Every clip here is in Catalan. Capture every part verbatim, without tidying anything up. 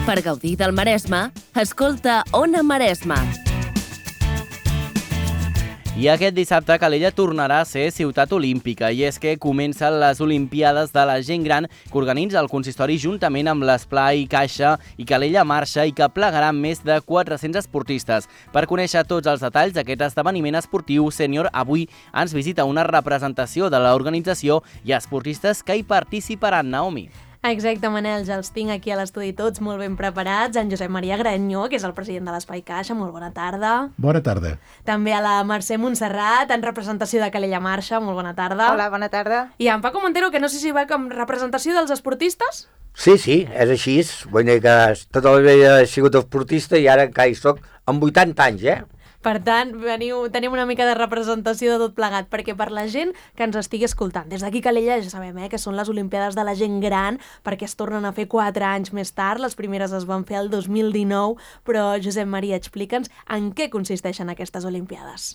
Per gaudir del Maresme, escolta Ona Maresme. I aquest dissabte Calella tornarà a ser ciutat olímpica i és que comencen les Olimpiades de la gent gran que organitza el consistori juntament amb l'Esplai, Caixa i Calella Marxa i que plegaran més de quatre-cents esportistes. Per conèixer tots els detalls d'aquest esdeveniment esportiu sènior, avui ens visita una representació de l'organització i esportistes que hi participaran, Naomi. Exacte, Manel, ja els tinc aquí a l'estudi tots molt ben preparats. En Josep Maria Grañó, que és el president de l'Espai Caixa, molt bona tarda. Bona tarda. També a la Mercè Montserrat, en representació de Calella Marxa, molt bona tarda. Hola, bona tarda. I en Paco Montero, que no sé si va com representació dels esportistes? Sí, sí, és així. Vull dir que tota la vida he sigut esportista i ara encara hi soc amb vuitanta anys, eh? Per tant, veniu, tenim una mica de representació de tot plegat, perquè per la gent que ens estigui escoltant, des d'aquí Calella ja sabem eh, que són les Olimpiades de la gent gran, perquè es tornen a fer quatre anys més tard, les primeres es van fer el dos mil dinou, però Josep Maria, explica'ns en què consisteixen aquestes Olimpiades.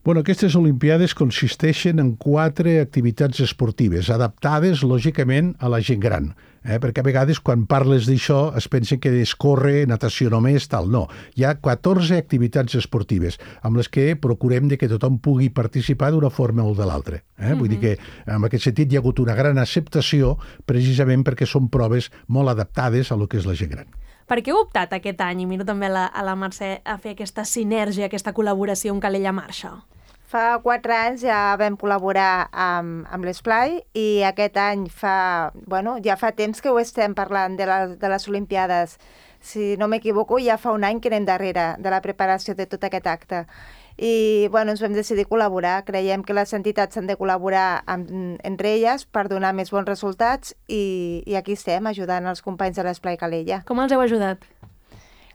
Bueno, aquestes Olimpiades consisteixen en quatre activitats esportives, adaptades, lògicament, a la gent gran. Eh? Perquè a vegades, quan parles d'això, es pensa que és córrer, natació només, tal. No. Hi ha catorze activitats esportives amb les que procurem de que tothom pugui participar d'una forma o de l'altra. Eh? Mm-hmm. Vull dir que, en aquest sentit, hi ha hagut una gran acceptació precisament perquè són proves molt adaptades a lo que és la gent gran. Per què heu optat aquest any, i miro també a la, a la Mercè, a fer aquesta sinergia, aquesta col·laboració amb Calella Marxa? Fa quatre anys ja vam col·laborar amb, amb l'Esplai i aquest any fa, bueno, ja fa temps que ho estem parlant de, la, de les Olimpiades. Si no m'equivoco, ja fa un any que anem darrere de la preparació de tot aquest acte. I bueno, ens vam decidir col·laborar. Creiem que les entitats han de col·laborar amb, entre elles per donar més bons resultats i, i aquí estem ajudant els companys de l'Esplai Calella. Com els heu ajudat?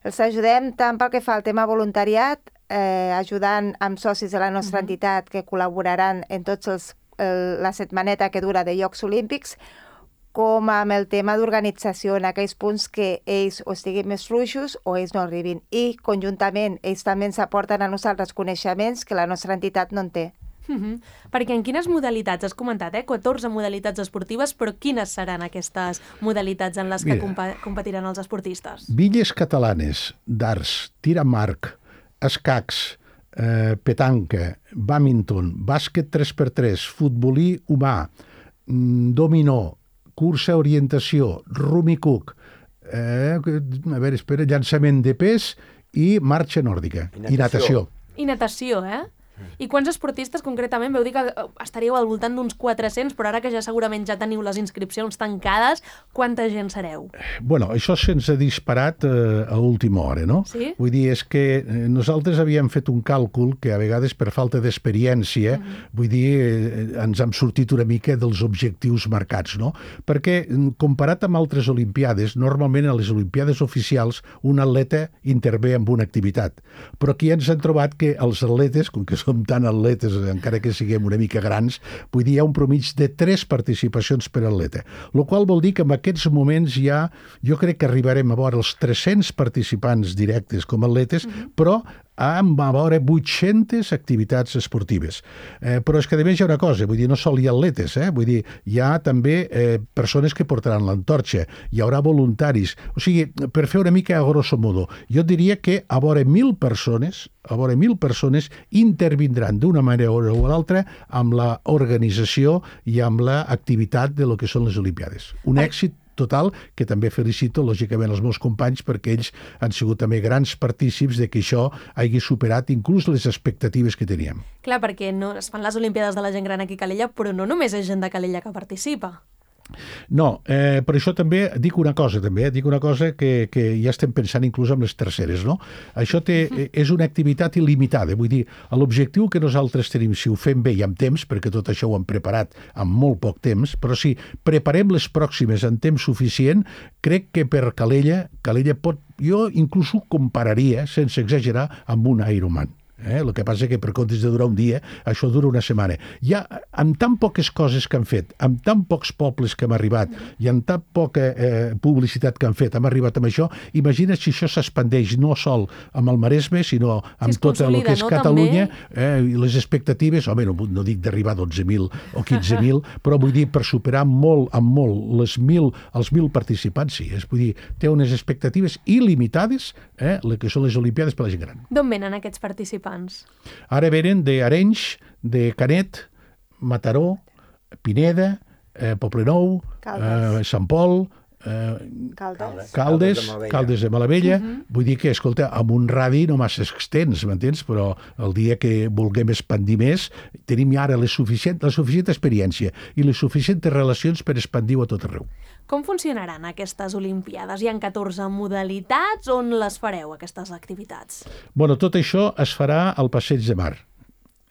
Els ajudem tant pel que fa al tema voluntariat, eh, ajudant amb socis de la nostra uh-huh. entitat que col·laboraran en tots els, el, la setmaneta que dura de Jocs Olímpics, com amb el tema d'organització en aquells punts que ells o estiguin més fluixos o ells no arribin. I conjuntament ells també ens aporten a nosaltres coneixements que la nostra entitat no en té. Uh-huh. Perquè en quines modalitats, has comentat, eh? catorze modalitats esportives, però quines seran aquestes modalitats en les que Mira, compa- competiran els esportistes? Billes catalanes, darts, tir amb arc, escacs, eh, petanca, badminton, bàsquet tres per tres, futbolí humà, dominó, cursa orientació, rummy cook, eh, a veure, espera, llançament de pes i marxa nòrdica. I natació. I natació, eh? I quants esportistes concretament? Veu dir que estaríeu al voltant d'uns quatre-cents, però ara que ja segurament ja teniu les inscripcions tancades, quanta gent sereu? Bueno, això se'ns ha disparat eh, a última hora, no? Sí? Vull dir, és que eh, nosaltres havíem fet un càlcul que a vegades per falta d'experiència, mm-hmm. vull dir, eh, ens hem sortit una mica dels objectius marcats, no? Perquè comparat amb altres olimpiades, normalment a les olimpiades oficials un atleta intervé en una activitat, però aquí ens hem trobat que els atletes, com que són tan atletes, encara que siguem una mica grans, vull dir, hi ha un promig de tres participacions per atleta, el qual vol dir que en aquests moments ja, jo crec que arribarem a veure els tres-cents participants directes com atletes, mm-hmm. però amb a veure vuit-centes activitats esportives. Eh, però és que a més hi ha una cosa, vull dir, no sol hi ha atletes, eh? Vull dir, hi ha també eh, persones que portaran l'antorxa, hi haurà voluntaris, o sigui, per fer una mica a grosso modo, jo diria que a veure mil persones, a veure mil persones intervindran d'una manera o l'altra amb l'organització i amb l'activitat de lo que són les Olimpiades. Un èxit total, que també felicito, lògicament, els meus companys, perquè ells han sigut també grans partícips de que això hagi superat inclús les expectatives que teníem. Clar, perquè no, es fan les Olimpiades de la gent gran aquí a Calella, però no només és gent de Calella que participa. No, eh, per això també dic una cosa, també, eh? dic una cosa que, que ja estem pensant inclús amb les terceres, no? Això té, és una activitat il·limitada, vull dir, l'objectiu que nosaltres tenim, si ho fem bé i amb temps, perquè tot això ho hem preparat amb molt poc temps, però si preparem les pròximes en temps suficient, crec que per Calella, Calella pot, jo inclús ho compararia, sense exagerar, amb un Ironman. Eh? El que passa que per comptes de durar un dia, això dura una setmana. Ja, amb tan poques coses que han fet, amb tan pocs pobles que hem arribat i amb tan poca eh, publicitat que han fet, hem arribat amb això, imagina't si això s'expandeix no sol amb el Maresme, sinó amb si tot el que és no, Catalunya, eh, i les expectatives, home, no, no dic d'arribar a dotze mil o quinze mil, però vull dir, per superar molt, amb molt, les mil, els mil participants, sí. És, vull dir, té unes expectatives il·limitades, eh, les que són les Olimpiades per la gent gran. D'on venen aquests participants? Ara venen d'Arenys, de Canet, Mataró, Pineda, eh, Poblenou, eh, Sant Pol, eh, Caldes. Caldes, Caldes de Malavella. Uh -huh. Vull dir que, escolta, amb un radi no massa extens, m'entens? Però el dia que vulguem expandir més, tenim ara la suficient, la suficient experiència i les suficients relacions per expandir-ho a tot arreu. Com funcionaran aquestes Olimpiades? Hi ha catorze modalitats. On les fareu, aquestes activitats? Bueno, tot això es farà al Passeig de Mar.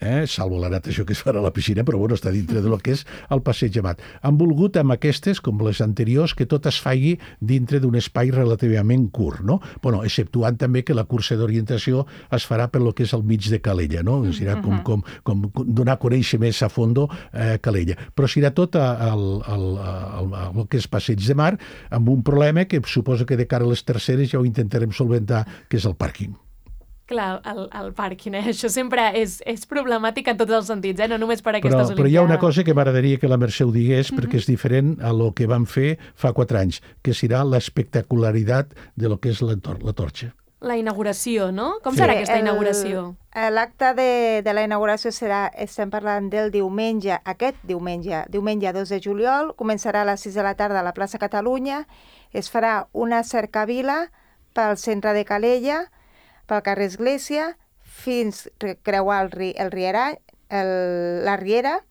Eh? Salvo la natació que es farà a la piscina, però bueno, està dintre del que és el Passeig de Mar. Han volgut amb aquestes, com les anteriors, que tot es faci dintre d'un espai relativament curt, no? Bueno, exceptuant també que la cursa d'orientació es farà per lo que és el mig de Calella, no? Serà com, com, com donar a conèixer més a fondo eh, Calella. Però serà tot al, al, al, al que és Passeig de Mar, amb un problema que suposo que de cara a les terceres ja ho intentarem solventar, que és el pàrquing. Clar, el, el pàrquing, eh? Això sempre és, és problemàtic en tots els sentits, eh? No només per aquestes però, Olimpiades. Però hi ha una cosa que m'agradaria que la Mercè ho digués, mm -hmm. perquè és diferent a lo que van fer fa quatre anys, que serà l'espectacularitat de lo que és la, tor la torxa. La inauguració, no? Com Sí, serà aquesta el- inauguració? L'acte de, de la inauguració serà, estem parlant del diumenge, aquest diumenge, diumenge dos de juliol, començarà a les sis de la tarda a la plaça Catalunya, es farà una cercavila pel centre de Calella, pel carrer Església, fins a creuar el, ri, el Riera, el, la Riera,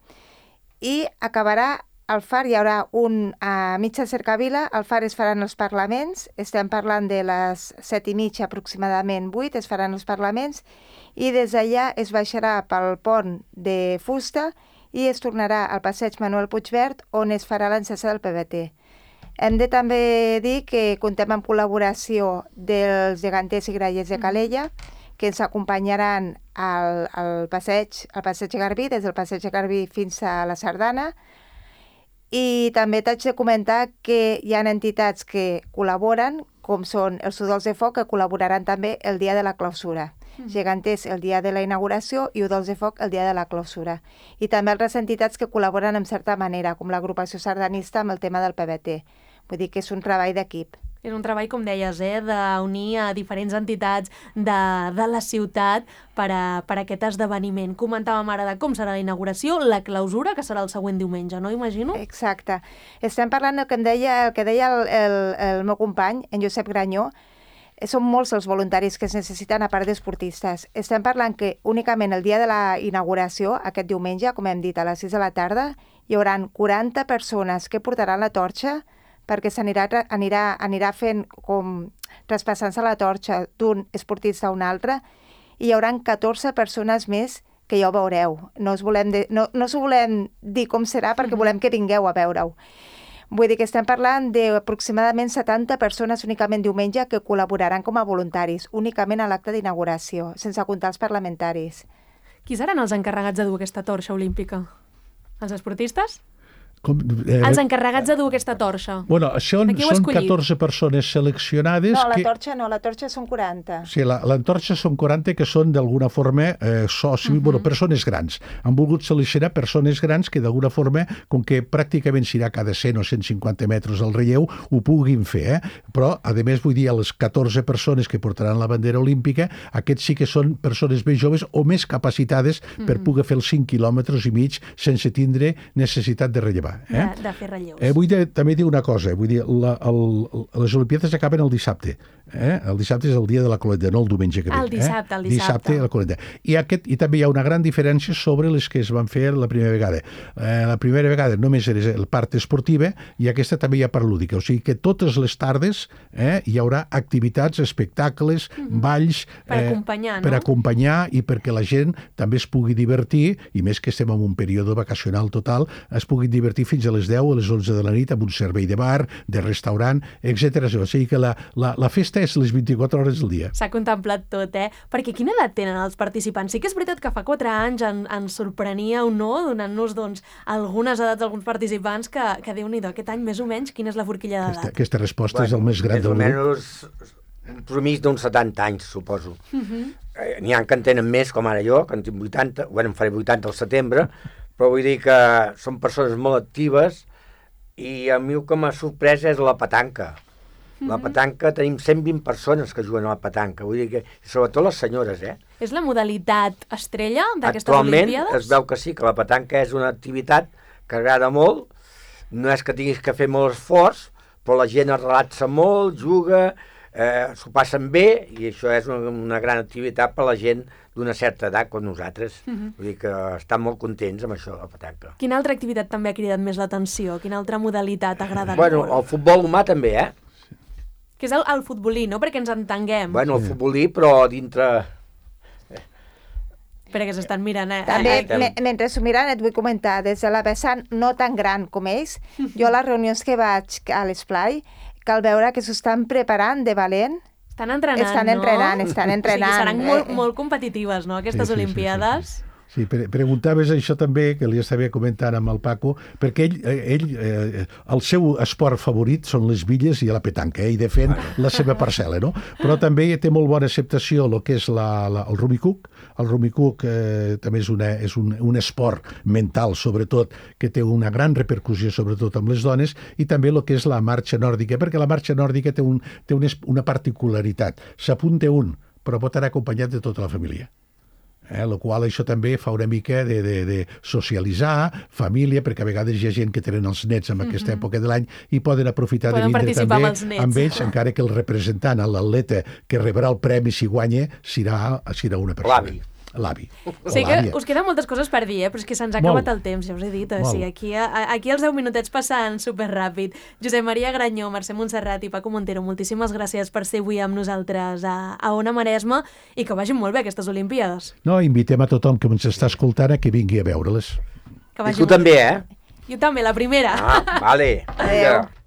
i acabarà al far. Hi haurà un a mitja cercavila, al far es faran els parlaments, estem parlant de les set i mitja aproximadament, vuit, es faran els parlaments, i des d'allà es baixarà pel pont de fusta i es tornarà al passeig Manuel Puigverd, on es farà l'encesa del P V T. Hem de també dir que comptem amb col·laboració dels geganters i grallers de Calella, que ens acompanyaran al, al passeig, al passeig Garbí, des del passeig Garbí fins a la Sardana. I també t'haig de comentar que hi ha entitats que col·laboren, com són els Udols de Foc, que col·laboraran també el dia de la clausura. Geganters el dia de la inauguració i Udols de Foc el dia de la clausura. I també altres entitats que col·laboren en certa manera, com l'agrupació sardanista amb el tema del P V T. Vull dir que és un treball d'equip. És un treball, com deies, eh, d'unir a diferents entitats de, de la ciutat per, a, per a aquest esdeveniment. Comentàvem ara de com serà la inauguració, la clausura, que serà el següent diumenge, no imagino? Exacte. Estem parlant del que em deia, el que deia el, el, el meu company, en Josep Granyó. Són molts els voluntaris que es necessiten a part d'esportistes. Estem parlant que únicament el dia de la inauguració, aquest diumenge, com hem dit, a les sis de la tarda, hi haurà quaranta persones que portaran la torxa, perquè s'anirà anirà, anirà fent com traspassant-se la torxa d'un esportista a un altre, i hi haurà catorze persones més que ja ho veureu. No us volem, de, no, no us volem dir com serà perquè volem que vingueu a veure-ho. Vull dir que estem parlant d'aproximadament setanta persones únicament diumenge que col·laboraran com a voluntaris, únicament a l'acte d'inauguració, sense comptar els parlamentaris. Qui seran els encarregats de dur aquesta torxa olímpica? Els esportistes? Com, eh, Els encarregats de dur aquesta torxa. Bueno, són, són catorze persones seleccionades... No, la que... torxa no, la torxa són quaranta. Sí, la, la torxa són quaranta que són d'alguna forma eh, socis, uh -huh. bueno, persones grans. Han volgut seleccionar persones grans que d'alguna forma, com que pràcticament serà cada cent o cent cinquanta metres al relleu, ho puguin fer, eh? Però, a més, vull dir, a les catorze persones que portaran la bandera olímpica, aquests sí que són persones més joves o més capacitades uh -huh. per poder fer els cinc quilòmetres i mig sense tindre necessitat de rellevar. Eh? De, de fer relleus. Eh, vull de, també dir una cosa, vull dir, la, el, les Olimpiades acaben el dissabte. Eh? El dissabte és el dia de la colenda, no el diumenge que ve. El dissabte, eh? el dissabte. Dissabte, la colenda. I, aquest, I també hi ha una gran diferència sobre les que es van fer la primera vegada. Eh, la primera vegada només era la part esportiva i aquesta també hi ha part lúdica. O sigui que totes les tardes eh, hi haurà activitats, espectacles, mm -hmm. balls... Per eh, acompanyar, no? Per acompanyar i perquè la gent també es pugui divertir, i més que estem en un període vacacional total, es pugui divertir matí fins a les deu, a les onze de la nit, amb un servei de bar, de restaurant, etcètera. O sigui que la, la, la festa és les vint-i-quatre hores del dia. S'ha contemplat tot, eh? Perquè quina edat tenen els participants? Sí que és veritat que fa quatre anys en, ens sorprenia o no, donant-nos doncs, algunes edats d'alguns participants que, que Déu-n'hi-do, aquest any més o menys, quina és la forquilla d'edat? Aquesta, aquesta resposta bueno, és el més gran del grup. Més o menys un promís d'uns setanta anys, suposo. Uh -huh. eh, N'hi ha que en tenen més, com ara jo, que en tinc vuitanta, bueno, em faré vuitanta al setembre, però vull dir que són persones molt actives i a mi el que m'ha sorprès és la petanca. La petanca, tenim cent vint persones que juguen a la petanca, vull dir que, sobretot les senyores, eh? És la modalitat estrella d'aquestes Olimpiades? Actualment es veu que sí, que la petanca és una activitat que agrada molt, no és que tinguis que fer molt esforç, però la gent es relaxa molt, juga, eh, s'ho passen bé, i això és una, una gran activitat per a la gent d'una certa edat com nosaltres. Uh -huh. Vull dir que estan molt contents amb això, la petanca. Quina altra activitat també ha cridat més l'atenció? Quina altra modalitat ha agradat bueno, molt? El futbol humà també, eh? Que és el, el futbolí, no? Perquè ens entenguem. Bueno, el futbolí, però dintre... Espera, que s'estan mirant, eh? També, eh, me, mentre s'ho miren, et vull comentar, des de la vessant no tan gran com ells, jo a les reunions que vaig a l'Esplai, cal veure que s'ho estan preparant de valent. Estan entrenant, estan no? entrenant, estan entrenant. O sigui, seran molt, molt competitives, no?, aquestes sí, sí, Olimpiades. Sí, sí, sí. Sí, pre preguntaves això també, que li estava comentant amb el Paco, perquè ell, ell eh, el seu esport favorit són les billes i la petanca, eh, i defèn la seva parcel·la, no? Però també té molt bona acceptació el que és la, la, el rumicuc. El rumicuc eh, també és, una, és un, un esport mental, sobretot, que té una gran repercussió, sobretot amb les dones, i també el que és la marxa nòrdica, perquè la marxa nòrdica té, un, té un, una particularitat. S'apunta un, però pot anar acompanyat de tota la família. Eh, la qual això també fa una mica de, de, de socialitzar, família, perquè a vegades hi ha gent que tenen els nets en aquesta mm -hmm. època de l'any i poden aprofitar poden de vindre també amb, els nets. amb ells, encara que el representant, l'atleta que rebrà el premi si guanya, serà, serà una persona. L'avi. L'avi. Sé que us queden moltes coses per dir, eh? Però és que se'ns ha acabat Molt. el temps, ja us he dit. O sigui, aquí, a, aquí els deu minutets passen superràpid. Josep Maria Granyó, Mercè Montserrat i Paco Montero, moltíssimes gràcies per ser avui amb nosaltres a, a Ona Maresma i que vagin molt bé aquestes Olimpiades. No, invitem a tothom que ens està escoltant a que vingui a veure-les. I tu també, eh? Jo també, la primera. Ah, vale. Adéu.